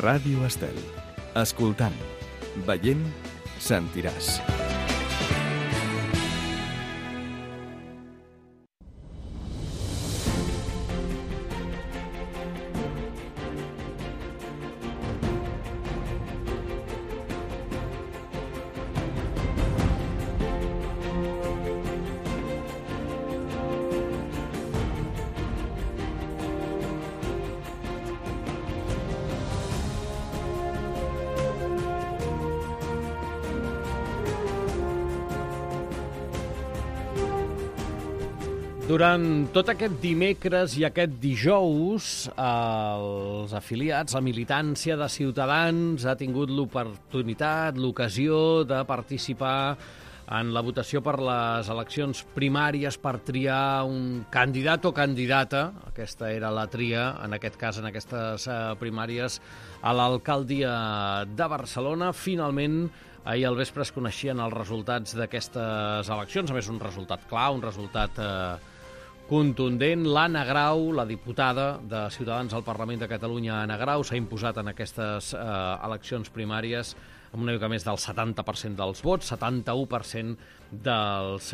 Ràdio Estel. Escoltant, veient, sentiràs. Durant tot aquest dimecres i aquest dijous, els afiliats, la militància de Ciutadans ha tingut l'oportunitat, l'ocasió de participar en la votació per les eleccions primàries per triar un candidat o candidata, aquesta era la tria, en aquest cas, en aquestes primàries, a l'alcaldia de Barcelona. Finalment, ahir al vespre es coneixien els resultats d'aquestes eleccions, a més un resultat clar, un resultat contundent. L'Anna Grau, la diputada de Ciutadans al Parlament de Catalunya, Anna Grau, s'ha imposat en aquestes eleccions primàries amb una mica més del 70% dels vots, 71% dels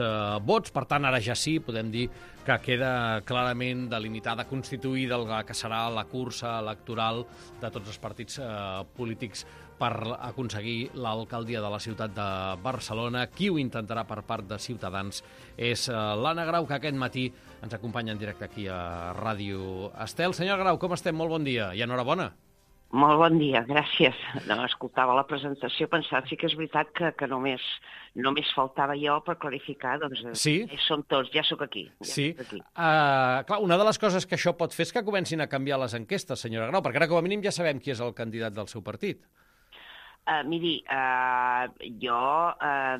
vots. Per tant, ara ja sí, podem dir que queda clarament delimitada, constituïda el que serà la cursa electoral de tots els partits polítics per aconseguir l'alcaldia de la ciutat de Barcelona. Qui ho intentarà per part de Ciutadans és l'Anna Grau, que aquest matí ens acompanya en directe aquí a Ràdio Estel. Senyor Grau, com estem? Molt bon dia i enhorabona. Molt bon dia, gràcies. No, escoltava la presentació, pensava, sí que és veritat que només faltava jo per clarificar, doncs sí? Som tots, ja sóc aquí. Sí. Clar, una de les coses que això pot fer és que comencin a canviar les enquestes, senyora Grau, perquè ara com a mínim ja sabem qui és el candidat del seu partit. Miri, jo,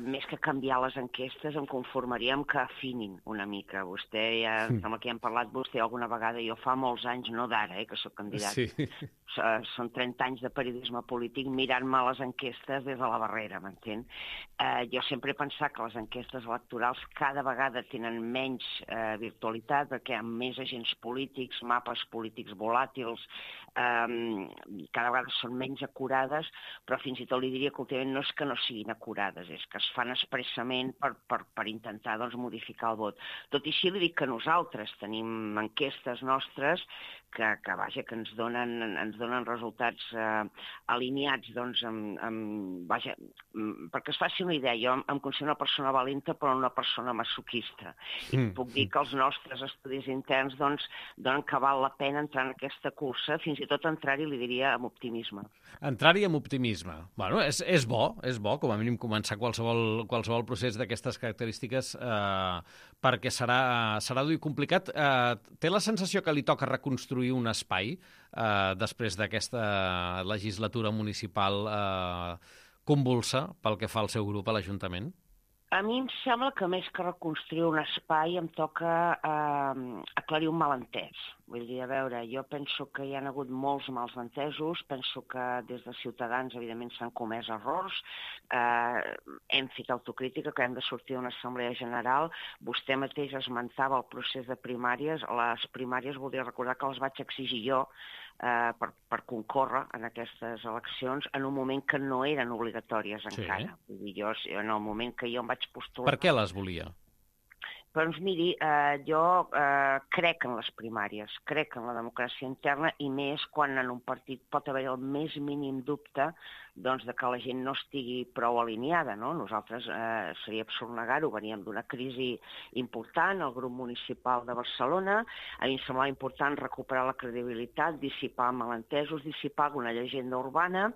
més que canviar les enquestes, em conformaria amb que afinin una mica. Vostè, sembla que ja hem parlat vostè alguna vegada, jo fa molts anys, no d'ara, que sóc candidat. Sí. Són 30 anys de periodisme polític mirant-me les enquestes des de la barrera, m'entén? Jo sempre he pensat que les enquestes electorals cada vegada tenen menys virtualitat, perquè hi ha més agents polítics, mapes polítics volàtils, cada vegada són menys acurades, però fins i tot li diria que últimament no és que no siguin acurades, és que es fan expressament per intentar modificar el vot. Tot i així li dic que nosaltres tenim enquestes nostres que ens donen resultats alineats, perquè es faci una idea. Jo em considero una persona valenta però una persona masoquista. I puc dir que els nostres estudis interns donen que val la pena entrar en aquesta cursa, fins i tot entrar-hi, li diria, amb optimisme. Entrar-hi amb optimisme. Bueno, és bo, com a mínim començar qualsevol procés d'aquestes característiques perquè serà dur i complicat. Té la sensació que li toca reconstruir un espai després d'aquesta legislatura municipal convulsa pel que fa al seu grup a l'Ajuntament? A mi em sembla que més que reconstruir un espai em toca aclarir un malentès. Vull dir, a veure, jo penso que hi ha hagut molts mals entesos, penso que des de Ciutadans, evidentment, s'han comès errors, hem fet autocrítica, que hem de sortir d'una assemblea general. Vostè mateix esmentava el procés de primàries. Les primàries voldria recordar que les vaig exigir jo per concórrer en aquestes eleccions en un moment que no eren obligatòries encara. Vull dir, jo, en el moment que jo em vaig postular... Per què les volia? Doncs miri, jo crec en les primàries, crec en la democràcia interna i més quan en un partit pot haver el més mínim dubte de que la gent no estigui prou alineada, no? Nosaltres, seria absurd negar-ho, veníem d'una crisi important, el grup municipal de Barcelona, a mi em semblava important recuperar la credibilitat, dissipar malentesos, dissipar alguna llegenda urbana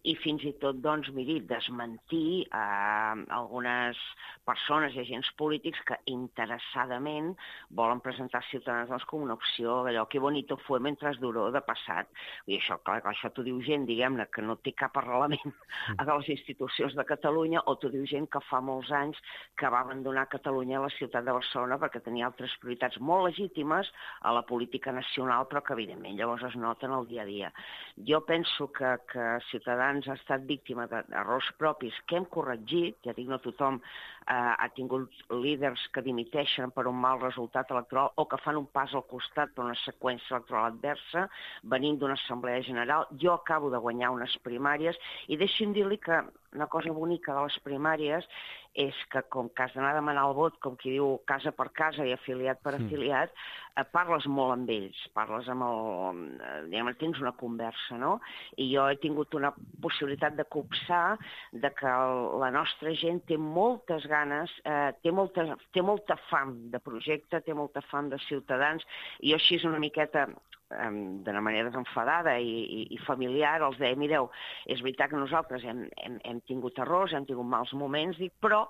i fins i tot, miri, desmentir algunes persones i agents polítics que interessadament volen presentar Ciutadans com una opció d'allò que bonito fue mientras duró de passat. I això, clar, això t'ho diu gent, diguem-ne, que no té cap arrelament malament a les institucions de Catalunya, o t'ho diu gent que fa molts anys que va abandonar Catalunya a la ciutat de Barcelona perquè tenia altres prioritats molt legítimes a la política nacional, però que evidentment llavors es noten al dia a dia. Jo penso que Ciutadans ha estat víctima d'errors propis que hem corregit, ja dic, no tothom ha tingut líders que dimiteixen per un mal resultat electoral o que fan un pas al costat per una seqüència electoral adversa, venint d'una assemblea general. Jo acabo de guanyar unes primàries i deixi'm dir-li que una cosa bonica de les primàries és que, com que has d'anar a demanar el vot, com qui diu casa per casa i afiliat per afiliat, parles molt amb ells, parles amb tens una conversa, no? I jo he tingut una possibilitat de copsar de que la nostra gent té moltes ganes, té molta fam de projecte, té molta fam de ciutadans, i jo així una miqueta d'una manera desenfadada i familiar, els deia, mireu, és veritat que nosaltres hem tingut errors, hem tingut mals moments, però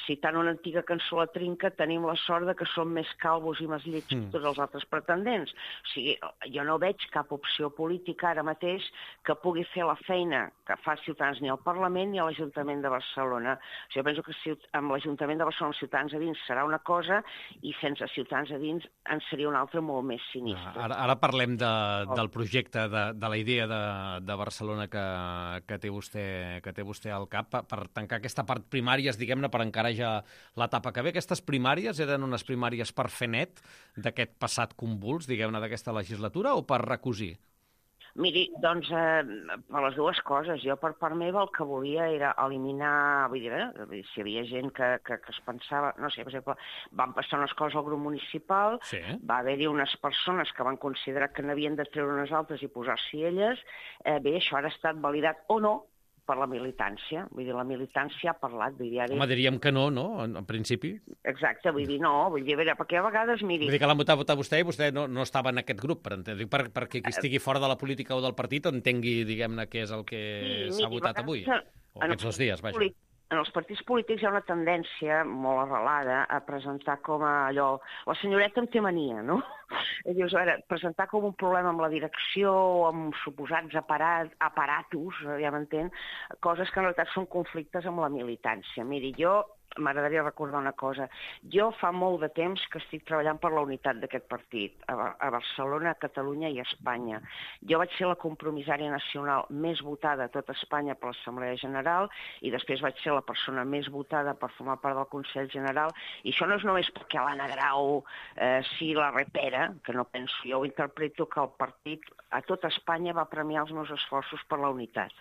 citant una antiga cançó a la Trinca, tenim la sort de que som més calvos i més llets que tots els altres pretendents. O sigui, jo no veig cap opció política ara mateix que pugui fer la feina que fa Ciutadans ni al Parlament ni a l'Ajuntament de Barcelona. O sigui, jo penso que amb l'Ajuntament de Barcelona Ciutadans a dins serà una cosa i sense Ciutadans a dins en seria una altra molt més sinistra. Ara parlem del projecte, de la idea de Barcelona que té vostè al cap per tancar aquesta part primàries, diguem-ne, per encarar ja l'etapa que ve. Aquestes primàries eren unes primàries per fer net d'aquest passat convuls, diguem-ne, d'aquesta legislatura, o per recosir? Miri, doncs, per les dues coses. Jo, per part meva, el que volia era eliminar... Vull dir, si hi havia gent que es pensava... No sé, per exemple, van passar unes coses al grup municipal, va haver-hi unes persones que van considerar que n'havien de treure unes altres i posar-s'hi elles. Bé, això ara ha estat validat o no per la militància. Vull dir, la militància ha parlat. Home, diríem que no, en principi. Exacte, vull dir, no. Vull dir, a veure, perquè a vegades, miri... Vull dir que l'han votat vostè i vostè no estava en aquest grup, perquè qui estigui fora de la política o del partit entengui, diguem-ne, què és el que s'ha votat avui. O aquests 2 dies, vaja. En els partits polítics hi ha una tendència molt arrelada a presentar com allò... La senyoreta en té mania, no? Dius, a veure, presentar com un problema amb la direcció o amb suposats aparatos, ja m'entén, coses que en realitat són conflictes amb la militància. Miri, jo m'agradaria recordar una cosa. Jo fa molt de temps que estic treballant per la unitat d'aquest partit, a Barcelona, a Catalunya i a Espanya. Jo vaig ser la compromissària nacional més votada a tot Espanya per l'Assemblea General i després vaig ser la persona més votada per formar part del Consell General. I això no és només perquè l'Anna Grau sí la repera, que no penso, jo ho interpreto que el partit a tot Espanya va premiar els meus esforços per la unitat.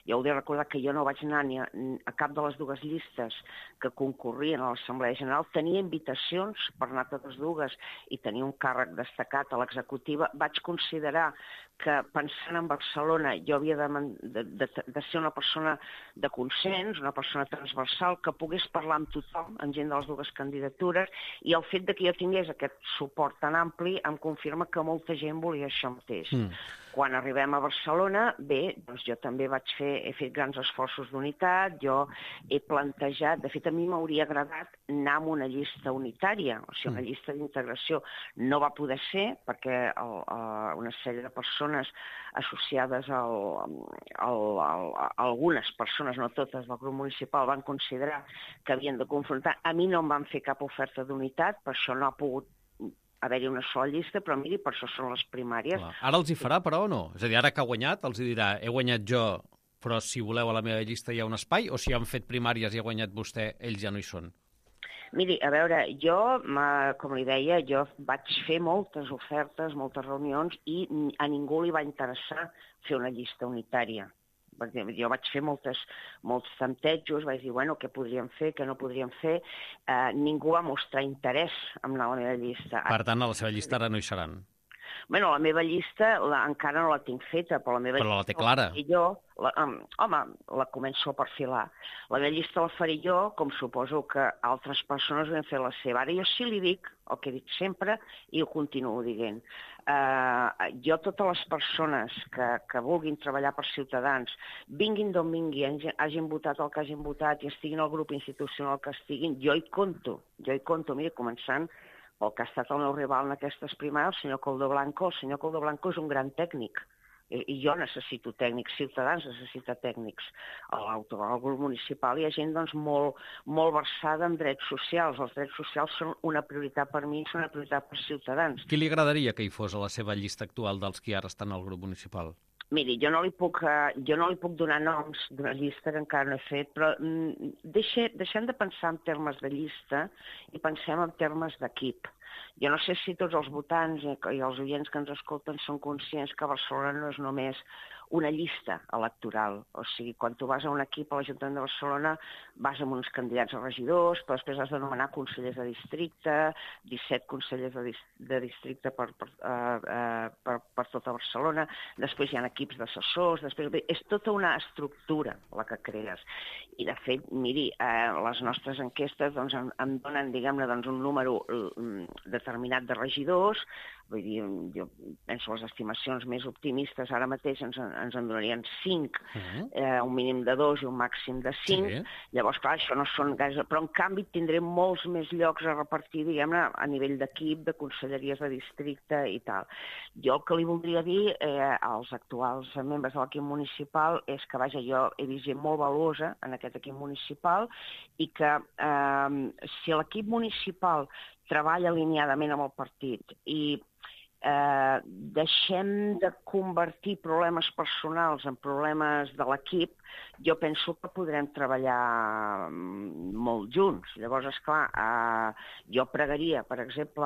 Jo heu de recordar que jo no vaig anar ni a cap de les dues llistes que concorrien a l'Assemblea General, tenia invitacions per anar a totes dues i tenia un càrrec destacat a l'executiva. Vaig considerar que, pensant en Barcelona, jo havia de ser una persona de consens, una persona transversal, que pogués parlar amb tothom, amb gent de les dues candidatures, i el fet de que jo tingués aquest suport tan ampli em confirma que molta gent volia això mateix. Quan arribem a Barcelona, bé, doncs jo també he fet grans esforços d'unitat, jo he plantejat, de fet a mi m'hauria agradat anar amb una llista unitària, o sigui, una llista d'integració. No va poder ser perquè una sèrie de persones associades a algunes persones, no totes, del grup municipal van considerar que havien de confrontar. A mi no em van fer cap oferta d'unitat, per això no ha pogut haver-hi una sola llista, però miri, per això són les primàries. Ara els hi farà, però, o no? És a dir, ara que ha guanyat, els dirà, he guanyat jo, però si voleu a la meva llista hi ha un espai, o si han fet primàries i ha guanyat vostè, ells ja no hi són? Miri, a veure, jo, com li deia, jo vaig fer moltes ofertes, moltes reunions, i a ningú li va interessar fer una llista unitària. Jo vaig fer molts temptejos, vaig dir, bueno, què podríem fer, què no podríem fer. Ningú va mostrar interès en anar a la meva llista. Per tant, a la seva llista ara no hi seran. Bueno, la meva llista encara no la tinc feta, però la meva llista... Però la té clara. Home, la començo a perfilar. La meva llista la faré jo, com suposo que altres persones ho han fet la seva. Ara jo sí li dic el que dic sempre i ho continuo dient. Jo, totes les persones que vulguin treballar per Ciutadans, vinguin d'on vinguin, hagin votat el que hagin votat i estiguin al grup institucional que estiguin, jo hi conto. Mira, començant pel que ha estat el meu rival en aquestes primàries, el senyor Coldo Blanco. El senyor Coldo Blanco és un gran tècnic. i jo necessito tècnics, Ciutadans necessita tècnics. Al grup municipal hi ha gent doncs, molt versada en drets socials. Els drets socials són una prioritat per mi, són una prioritat per Ciutadans. Qui li agradaria que hi fos a la seva llista actual dels qui ara estan al grup municipal? Miri, jo no li puc donar noms d'una llista que encara no he fet, però deixem de pensar en termes de llista i pensem en termes d'equip. Jo no sé si tots els votants i els oients que ens escolten són conscients que Barcelona no és només una llista electoral. O sigui, quan tu vas a un equip a l'Ajuntament de Barcelona vas amb uns candidats a regidors, però després has de nomenar consellers de districte, 17 consellers de districte per tota Barcelona, després hi ha equips d'assessors, és tota una estructura la que crees. I de fet, miri, les nostres enquestes doncs, em donen, diguem-ne, doncs, un número determinat de regidors. Vull dir, jo penso les estimacions més optimistes ara mateix ens en donarien 5, un mínim de 2 i un màxim de 5. Sí. Llavors, clar, això no són gaire... Però, en canvi, tindrem molts més llocs a repartir, diguem-ne, a nivell d'equip, de conselleries de districte i tal. Jo el que li voldria dir als actuals membres de l'equip municipal és que, vaja, jo he vist gent molt valuosa en aquest equip municipal i que si l'equip municipal treballa alineadament amb el partit i deixem de convertir problemes personals en problemes de l'equip, jo penso que podrem treballar molt junts. Llavors, esclar, jo pregaria, per exemple,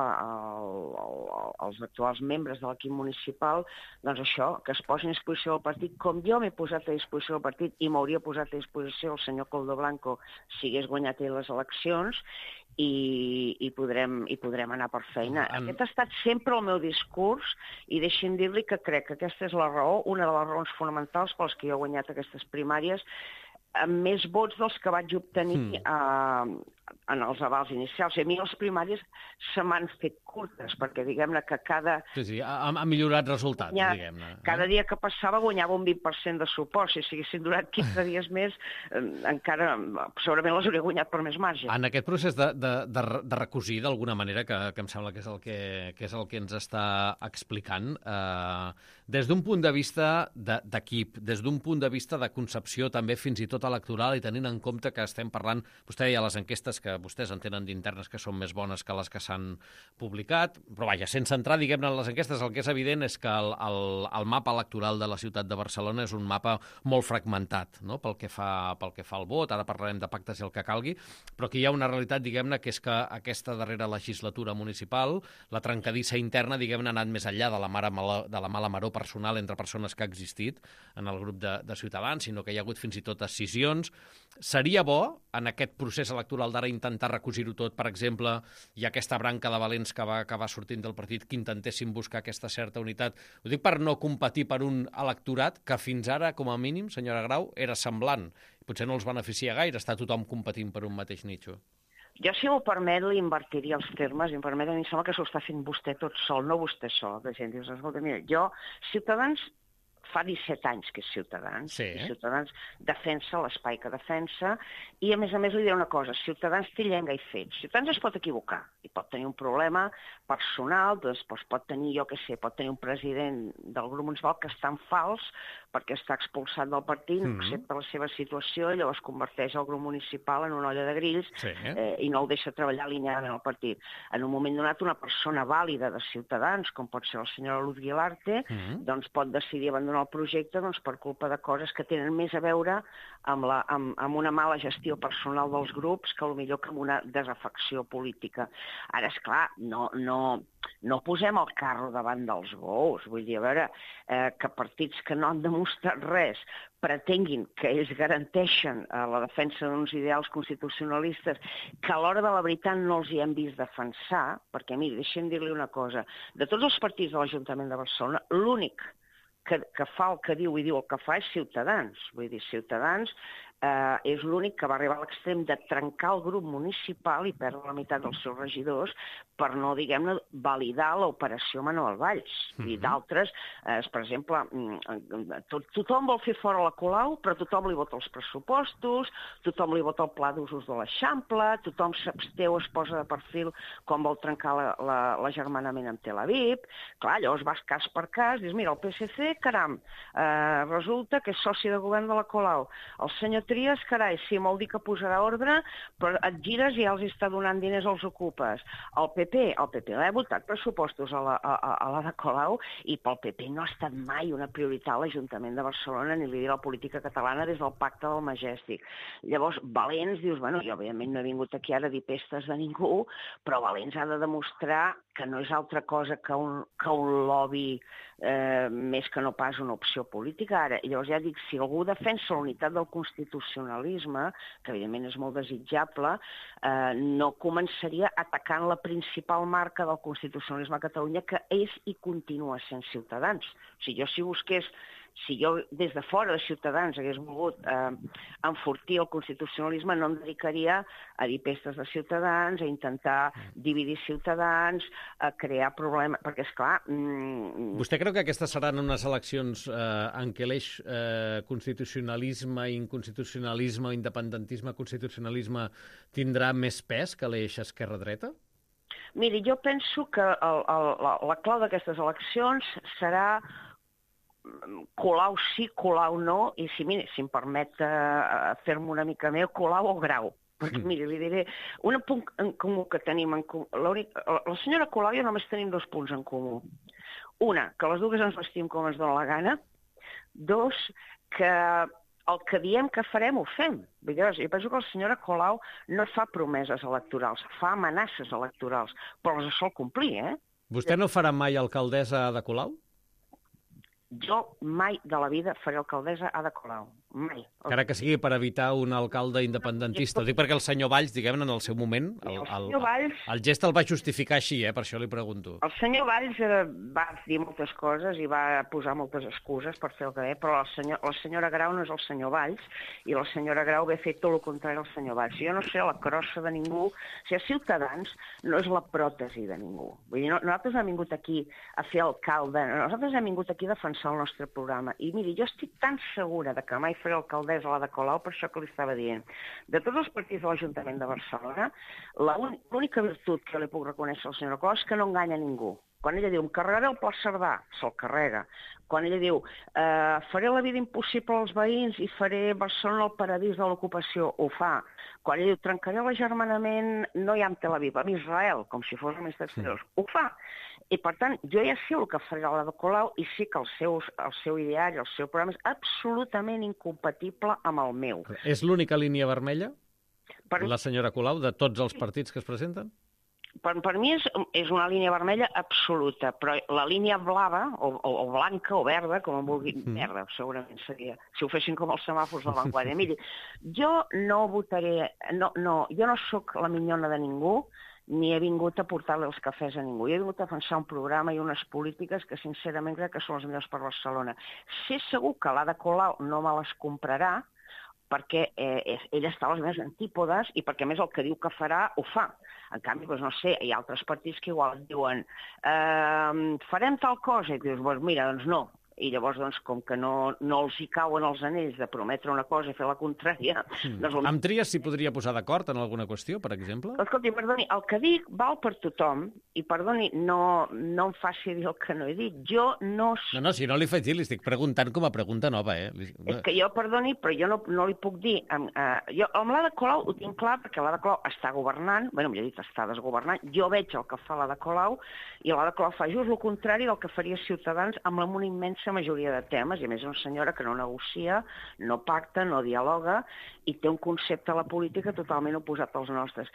als actuals membres de l'equip municipal, doncs això, que es posin a disposició del partit, com jo m'he posat a disposició del partit i m'hauria posat a disposició el senyor Coldo Blanco si hagués guanyat ell les eleccions, i podrem anar per feina. Aquest ha estat sempre el meu discurs i deixi'm dir-li que crec que aquesta és la raó, una de les raons fonamentals per les que jo he guanyat aquestes primàries amb més vots dels que vaig obtenir en els avals inicials. I a mi les primàries se m'han fet curtes, perquè diguem-ne que cada... Sí, ha millorat resultats, diguem-ne. Cada dia que passava guanyava un 20% de suport. Si s'haguessin durat 15 dies més, encara segurament les hauria guanyat per més marge. En aquest procés de recosir, d'alguna manera, que em sembla que és el que ens està explicant, des d'un punt de vista d'equip, des d'un punt de vista de concepció també fins i tot electoral, i tenint en compte que estem parlant, vostè deia les enquestes que vostès en tenen d'internes que són més bones que les que s'han publicat, però vaja, sense entrar, diguem-ne, en les enquestes, el que és evident és que el mapa electoral de la ciutat de Barcelona és un mapa molt fragmentat, no?, pel que fa al vot. Ara parlarem de pactes i el que calgui, però que hi ha una realitat, diguem-ne, que és que aquesta darrera legislatura municipal, la trencadissa interna, diguem-ne, ha anat més enllà de la mala maror personal entre persones que ha existit en el grup de Ciutadans, sinó que hi ha hagut fins i tot escissions. Seria bo, en aquest procés electoral d'ara, intentar recosir-ho tot. Per exemple, hi ha aquesta branca de valents que va sortint del partit que intentessin buscar aquesta certa unitat. Ho dic per no competir per un electorat que fins ara, com a mínim, senyora Grau, era semblant. Potser no els beneficia gaire estar tothom competint per un mateix nitxo. Jo, si m'ho permet, li invertiria els termes. Em sembla que s'ho està fent vostè tot sol, no vostè sol. La gent diu, escolta, mira, jo, Ciutadans, fa 17 anys que és Ciutadans, sí. I Ciutadans defensa l'espai que defensa, i a més li diré una cosa, Ciutadans té llenga i fets. Ciutadans es pot equivocar, i pot tenir un problema personal, doncs pot tenir, jo què sé, pot tenir un president del grup municipal que està en fals, perquè està expulsat del partit, no accepta la seva situació, i llavors converteix el grup municipal en una olla de grills, sí. I no el deixa treballar alineadament al partit. En un moment donat, una persona vàlida de Ciutadans, com pot ser la senyora Luz Guilarte, doncs pot decidir abandonar el projecte per culpa de coses que tenen més a veure amb una mala gestió personal dels grups que potser que amb una desafecció política. Ara, esclar, no posem el carro davant dels bous. Vull dir, a veure, que partits que no han demostrat res pretenguin que ells garanteixen la defensa d'uns ideals constitucionalistes que a l'hora de la veritat no els hi hem vist defensar, perquè, miri, deixem dir-li una cosa, de tots els partits de l'Ajuntament de Barcelona, l'únic que fa el que diu i diu el que fa és Ciutadans. Vull dir, Ciutadans és l'únic que va arribar a l'extrem de trencar el grup municipal i perdre la meitat dels seus regidors per no, diguem-ne, validar l'operació Manuel Valls. I d'altres, per exemple, tothom vol fer fora la Colau, però tothom li vota els pressupostos, tothom li vota el pla d'usos de l'Eixample, tothom s'absteu, es posa de perfil quan vol trencar l'agermanament amb Tel Aviv. Clar, llavors vas cas per cas, dius, mira, el PSC, caram, resulta que és soci de govern de la Colau. El senyor Trias, carai, sí, vol dir que posarà ordre, però et gires i ja els està donant diners als ocupes. El PP l'ha votat pressupostos a la de Colau i pel PP no ha estat mai una prioritat a l'Ajuntament de Barcelona ni li diré la política catalana des del Pacte del Majestic. Llavors, Valents, dius, bueno, jo òbviament no he vingut aquí ara a dir pestes de ningú, però Valents ha de demostrar que no és altra cosa que un lobby més que no pas una opció política ara. I llavors ja dic, si algú defensa la unitat del constitucionalisme, que evidentment és molt desitjable, no començaria atacant la principal marca del constitucionalisme a Catalunya, que és i continua sent Ciutadans. O sigui, si jo des de fora de Ciutadans hagués volgut enfortir el constitucionalisme, no em dedicaria a dir pestes de Ciutadans, a intentar dividir Ciutadans, a crear problemes, perquè, esclar... Vostè creu que aquestes seran unes eleccions en què l'eix constitucionalisme, inconstitucionalisme, independentisme, constitucionalisme tindrà més pes que l'eix esquerra-dreta? Miri, jo penso que la clau d'aquestes eleccions serà Colau sí, Colau no, i si em permet fer-me una mica meu, Colau o Grau. Perquè, miri, li diré, un punt en comú que tenim en comú... La senyora Colau i jo només tenim 2 punts en comú. Una, que les dues ens vestim com ens dona la gana. 2, que el que diem que farem ho fem. Jo penso que la senyora Colau no fa promeses electorals, fa amenaces electorals, però les sol complir, Vostè no farà mai alcaldessa de Colau? Jo mai de la vida faré alcaldessa Ada Colau. Mai. Encara que sigui per evitar un alcalde independentista. Ho dic perquè el senyor Valls, diguem-ne, en el seu moment, el gest el va justificar així, per això li pregunto. El senyor Valls va dir moltes coses i va posar moltes excuses per fer el que deia, però la senyora Grau no és el senyor Valls i la senyora Grau ve a fer tot el contrari al senyor Valls. Jo no sé la crossa de ningú. O sigui, Ciutadans no és la pròtesi de ningú. Vull dir, nosaltres hem vingut aquí a fer alcalde, nosaltres hem vingut aquí a defensar el nostre programa. I miri, jo estic tan segura de que mai faré alcaldessa a la de Colau, per això que li estava dient. De tots els partits de l'Ajuntament de Barcelona, l'única virtut que li puc reconèixer a la senyora Colau és que no enganya ningú. Quan ella diu, em carregaré el Pla Cerdà, se'l carrega. Quan ella diu, faré la vida impossible als veïns i faré Barcelona el paradís de l'ocupació, ho fa. Quan ella diu, trencaré l'agermanament, no hi ha en Tel Aviv, amb Israel, com si fos el ministre d'Exteriors, ho fa. I, per tant, jo ja sé el que faré a la de Colau i sí que el seu ideari, el seu programa és absolutament incompatible amb el meu. És l'única línia vermella, la senyora Colau, de tots els partits que es presenten? Per mi és una línia vermella absoluta, però la línia blava, o blanca, o verda, com en vulgui, verda segurament seria, si ho fessin com els semàfors de l'Avantguàrdia. Miri, jo no votaré, jo no sóc la minyona de ningú, ni he vingut a portar-li els cafès a ningú. Jo he vingut a defensar un programa i unes polítiques que sincerament crec que són les millors per Barcelona. Sé segur que l'Ada Colau no me les comprarà, perquè ella està a les meves antípodes i perquè, a més, el que diu que farà, ho fa. En canvi, doncs, no sé, hi ha altres partits que igual diuen farem tal cosa, i dius, doncs mira, doncs no. I llavors, doncs, com que no els hi cauen els anells de prometre una cosa i fer la contrària... Doncs... Amb Trias s'hi podria posar d'acord en alguna qüestió, per exemple? Escolti, perdoni, el que dic val per tothom, i perdoni, no em faci dir el que no he dit. Jo no... No, si no li faig dir, li estic preguntant com a pregunta nova, És que jo, perdoni, però jo no li puc dir... Jo amb l'Ada Colau ho tinc clar, perquè l'Ada Colau està governant, bé, millor dit, està desgovernant, jo veig el que fa l'Ada Colau, i l'Ada Colau fa just el contrari del que faria Ciutadans amb una immensa majoria de temes, i a més és una senyora que no negocia, no pacta, no dialoga, i té un concepte de la política totalment oposat als nostres.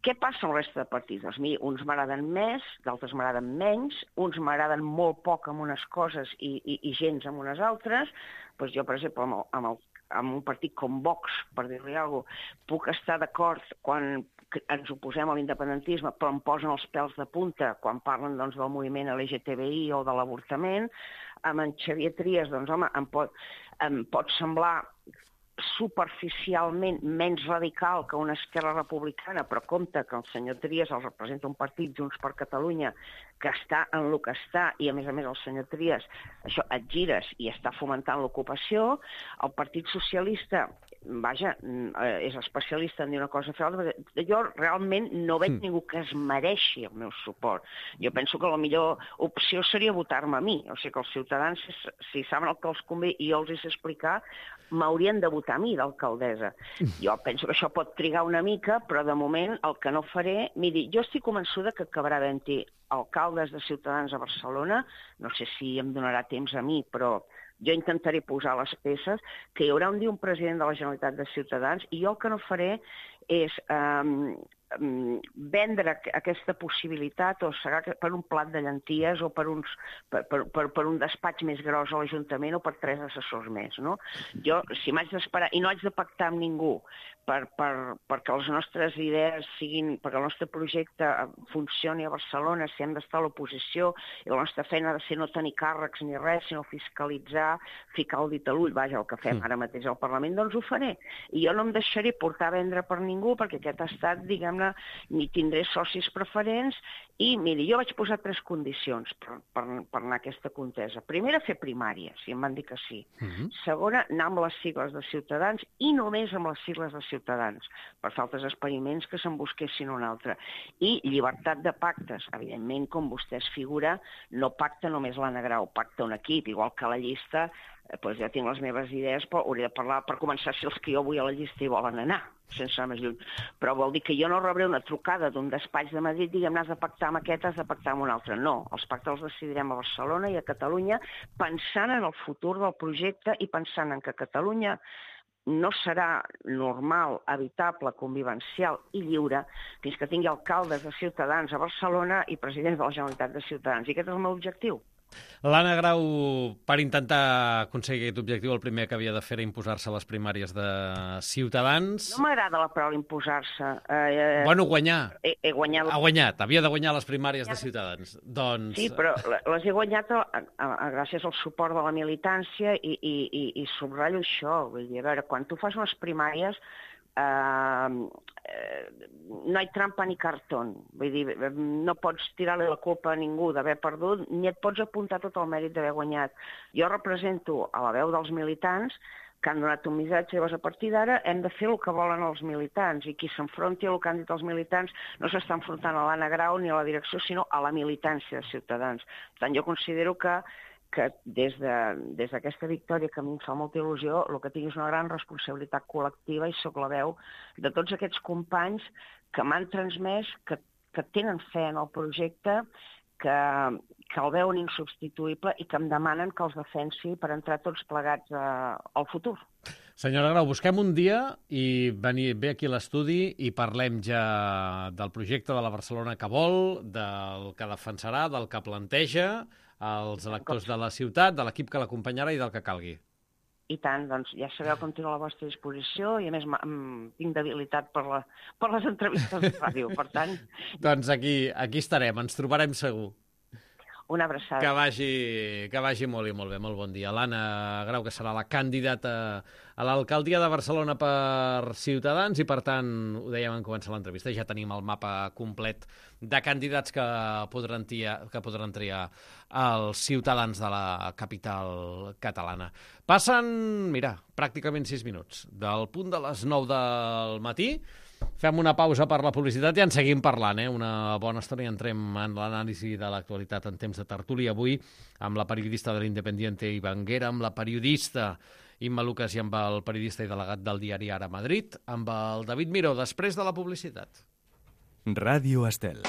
Què passa amb la resta de partits? Doncs mira, uns m'agraden més, d'altres m'agraden menys, uns m'agraden molt poc amb unes coses i gens amb unes altres. Doncs jo, per exemple, amb un partit com Vox, per dir-li alguna cosa, puc estar d'acord quan ens oposem a l'independentisme, però em posen els pèls de punta quan parlen doncs, del moviment LGTBI o de l'avortament. Amb en Xavier Trias, doncs, home, em pot semblar superficialment menys radical que una Esquerra Republicana, però compte que el senyor Trias el representa un partit, Junts per Catalunya, que està en el que està, i a més el senyor Trias això et gires i està fomentant l'ocupació. El Partit Socialista, vaja, és especialista en dir una cosa o fer l'altra. Jo realment no veig ningú que es mereixi el meu suport. Jo penso que la millor opció seria votar-me a mi. O sigui que els ciutadans, si saben el que els convé i jo els hi sé explicar, m'haurien de votar a mi d'alcaldessa. Jo penso que això pot trigar una mica, però de moment el que no faré... Miri, jo estic convençuda que acabarà havent-hi alcaldes de Ciutadans a Barcelona, no sé si em donarà temps a mi, però jo intentaré posar les peces, que hi haurà un dia un president de la Generalitat de Ciutadans, i jo el que no faré és vendre aquesta possibilitat o serà per un plat de llenties o per un despatx més gros a l'Ajuntament o per 3 assessors més, no? Jo, si m'haig d'esperar i no haig de pactar amb ningú perquè les nostres idees siguin, perquè el nostre projecte funcioni a Barcelona, si hem d'estar a l'oposició i la nostra feina ha de ser no tenir càrrecs ni res, sinó fiscalitzar, ficar el dit a l'ull, vaja, el que fem ara mateix al Parlament, doncs ho faré. I jo no em deixaré portar a vendre per ningú perquè aquest ha estat, diguem-ne, ni tindré socis preferents i, miri, jo vaig posar 3 condicions per anar a aquesta contesa. Primera, fer primàries, i em van dir que sí. Segona, anar amb les sigles de Ciutadans i només amb les sigles de Ciutadans, per fer altres experiments que se'n busquessin un altre. I llibertat de pactes. Evidentment, com vostè es figura, no pacta només l'Anna Grau, pacta un equip, igual que la llista, doncs ja tinc les meves idees, però hauré de parlar per començar si els que jo vull a la llista hi volen anar, sense anar més lluny. Però vol dir que jo no rebré una trucada d'un despatx de Madrid, diguem, has de pactar amb aquest, has de pactar amb un altre. No, els pactes els decidirem a Barcelona i a Catalunya, pensant en el futur del projecte i pensant en que Catalunya no serà normal, habitable, convivencial i lliure fins que tingui alcaldes de Ciutadans a Barcelona i presidents de la Generalitat de Ciutadans. I aquest és el meu objectiu. L'Anna Grau, per intentar aconseguir aquest objectiu, el primer que havia de fer era imposar-se a les primàries de Ciutadans. No m'agrada la paraula imposar-se. Bueno, guanyar. He guanyat. Ha guanyat, havia de guanyar les primàries de Ciutadans. Doncs... Sí, però les he guanyat gràcies al suport de la militància i subratllo això. Vull dir, a veure, quan tu fas unes primàries no hi ha trampa ni cartó. Vull dir, no pots tirar-li la culpa a ningú d'haver perdut, ni et pots apuntar tot el mèrit d'haver guanyat. Jo represento a la veu dels militants que han donat un missatge, llavors a partir d'ara hem de fer el que volen els militants, i qui s'enfronti a el que han dit els militants no s'està enfrontant a l'Anna Grau ni a la direcció, sinó a la militància de Ciutadans. Per tant, jo considero que des d'aquesta victòria, que a mi em fa molta il·lusió, el que tinc és una gran responsabilitat col·lectiva i sóc la veu de tots aquests companys que m'han transmès, que tenen fe en el projecte, que el veuen insubstituïble i que em demanen que els defensi per entrar tots plegats al futur. Senyora Grau, busquem un dia i ve aquí a l'estudi i parlem ja del projecte de la Barcelona que vol, del que defensarà, del que planteja, els electors de la ciutat, de l'equip que l'acompanyarà i del que calgui. I tant, doncs ja sabeu que em tiro a la vostra disposició i a més tinc debilitat per les entrevistes de ràdio, per tant... Doncs aquí estarem, ens trobarem segur. Una abraçada. Que vagi molt i molt bé, molt bon dia. L'Anna Grau, que serà la candidata a l'alcaldia de Barcelona per Ciutadans i, per tant, ho dèiem en començar l'entrevista, ja tenim el mapa complet de candidats que podran triar els ciutadans de la capital catalana. Passen, mira, pràcticament 6 minuts del punt de les 9 del matí. Fem una pausa per la publicitat i en seguim parlant, una bona estona, i entrem en l'anàlisi de l'actualitat en temps de tertúlia avui amb la periodista de l'Independiente Ivanguera, amb la periodista Imma Lucas i amb el periodista i delegat del diari Ara Madrid, amb el David Miró, després de la publicitat. Ràdio Estel.